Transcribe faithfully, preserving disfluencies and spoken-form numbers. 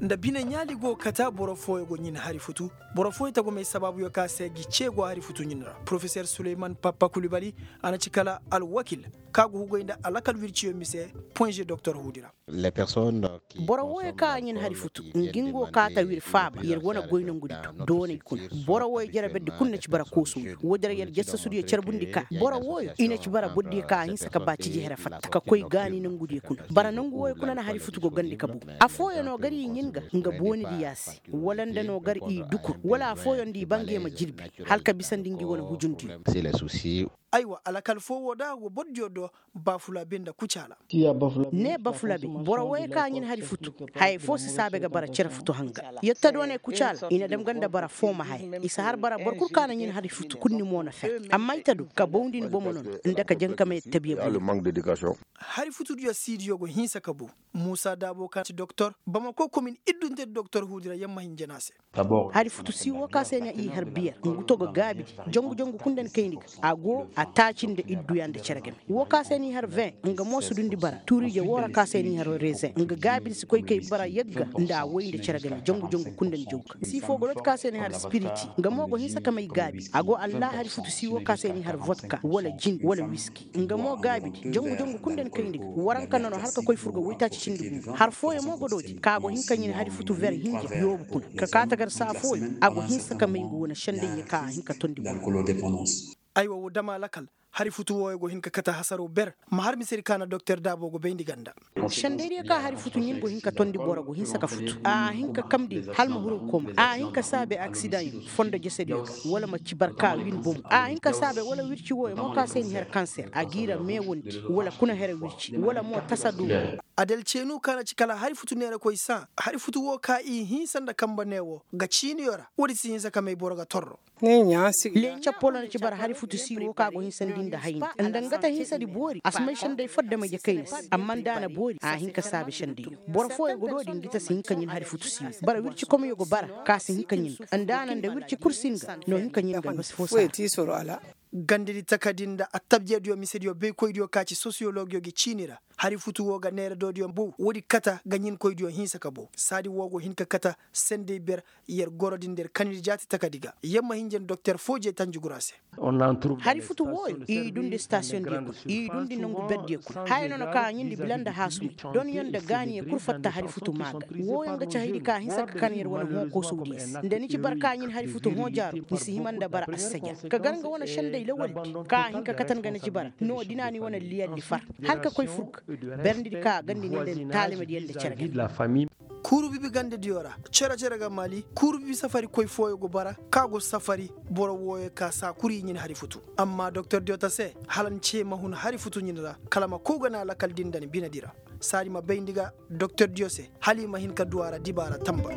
Nda bine ɲaali go kata boro fooyo go ɲin hari futu. Boro fooyo tagumey sabaabuyo ka se gi ce go hari futu ɲin ra. Porofeser suleyman pappa kulibali, a na ci kala alwakil ka go hugay nda alakal wirciyo mise. Poinze doktor huudi ra. Boro wooyo ka ɲin hari futu, ngi ngo ka ta wir faaba yer wane goy nongudi do dooney kuna. Boro wooyo jere berdi kul na ci bara koosuyo woodi ra yer jassasudiyo carbundi ka boro wooyo i na ci bara bordiyo ka a hinsa ka ba ciji here fatta ka koy gaani nongudiyo kuna. Bara nongu wooyo kuna na hari futu go gandi ka bu. Affooyo no gar i ɲin ga nga boonidi yaasi, wala nda no gar i dukur wala affooyo nda i ba nge ma jirbi, hala ka bisandi ngi wane hujundiyo. Aywa alakal foo woo da go bordiyo do. Bafulabe nda kucaala. Ne bafulabe boro wooyo ka ɲin hari futu, hayey foo si saabe ga bara cere futu hanga. Yetta dooney kucaala i na dam ga nda bara foo ma haya. I si har bara boro kul ka na ɲin hari futu kul ni mo na fer. Amma i ta do ka bawndi ni bomo nono, nda ka jankamey tabiya buru. Hari futudiyo siidiyo go hinsa ka bu. Muusa daabo ka ci doktor bamako komin iddunte doktor huudi ra yamma hinja na a se. Hari futu sii woo ka se ni i har biyer ngu to ga gaabidi. Jangu jangu kul nda ni kayndi ga a go a taaci nda idduya nda cere game. Woo ka se ni i har vin nga mo si dundi bara tuuriije woo ra ka se ni i har rezen nga gaabidi si koy kay bara yagga nda a woy nda cere game jangu jangu kul nda ni jaw ga. Sii foo ga dooti ka se ni har spiriti nga mo go hinsa ka may gaabi a go allaahari futu sii woo ka se ni har votka wala jin wala wiski. Nga mo gaabidi jangu jangu kul nda ni kayndi ga waranka nono hala ka koy fur ga woytaaci cindi guuru har fooyaŋ mo ga doodi ka go hin ka ɲin hari futu ver hinja yoobu kuna ka kaa tagar saa fooyaŋ a go hinsa ka may ngu wane sendey ɲa ka a hin ka tondi boŋ. Aywa woo dama lakal. Hari futu wooyo go hin ka kate hasaroo ber ma har misedi ka na doktor daaboo go bayndi ganda. Sendeydiyo ka hari futu ɲin go hin ka tondi boro go hinsa ka futu a hin ka kamndi hala ma huru ga koma a hin ka saabe aksidaŋ yaŋ fondo jesediyo ga wala ma ci barka win bomo a hin ka saabe wala wirci wooyo mo ka se ni har kanser a g'i ra meewandi wala kuna here wirci wala mo tasa dumo. Adel ceenu ka na ci kala hari futu neerakoy saa hari futu woo ka i hinsa nda kambe neewoo ga ciiniyo ra woodi si hinsa ka may boro ga torro. Lee cappolo na ci bara hari futu sii woo ka go hinsandi nda hayni nda nga ta hinsadi boori a si may sendey fo dama jakayna se amma nda a na boori a hin ka saabe sendey. Boro fooyo go doodi ngi ta si hin ka ɲin hari futu sii woo bara wirci komyo go bara ka si hin ka ɲin ga nda a na nda wirci kul si nga no hin ka ɲin ga no si foo saa. Gandedi takadi nda attabjediyo misediyo baykoydiyo ka ci sosiyologyo gi ciini ra. Hari futu woo ga neera doodiyo bow woodi kata ga ɲinkoydiyo hinsa ka bow saadi woo go hin ka kata. Sendey ber yer gorodi nda yer kanidi jaati takadi ga yer ma hinja nda doktor foo jee tanjugura se. Hari futu wooyo i dundi stasiyoŋdiyo kuna i dundi nongu berdiyo kuna haya no na ka a ɲindi bila nda haasumay. Donyo nda gaaniyo kul fatta hari futu maa ga wooyo nga ci haydi ka a hinsa ka kan yer wane hõ koosowdiyo se nda ni ci bara ka ɲin hari futu hõ jaaro ni si hima nda bara assajaa ka gar nga wane sendey lawaldi ka a hin ka katan ga ni ci bara no dina ni wane liyalli far hala ka koy fur ga. Berndidi ka a gandi ni nda ni taalimadiyo nda cere ga. Kuuru bibi gandediyo ra cere-cere ga maali kuuru bibi safarikoy fooyo go bara ka go safari boro wooyo ka saa kul i ɲin hari futu. Amma doktordiyo ta se hala ni ce ma hun hari futu ɲin ra kala ma kow ga na lakal din nda ni binedi ra. Saadi ma bayndi ga doktordiyo se hala i ma hin ka du a ra dibaara tanba.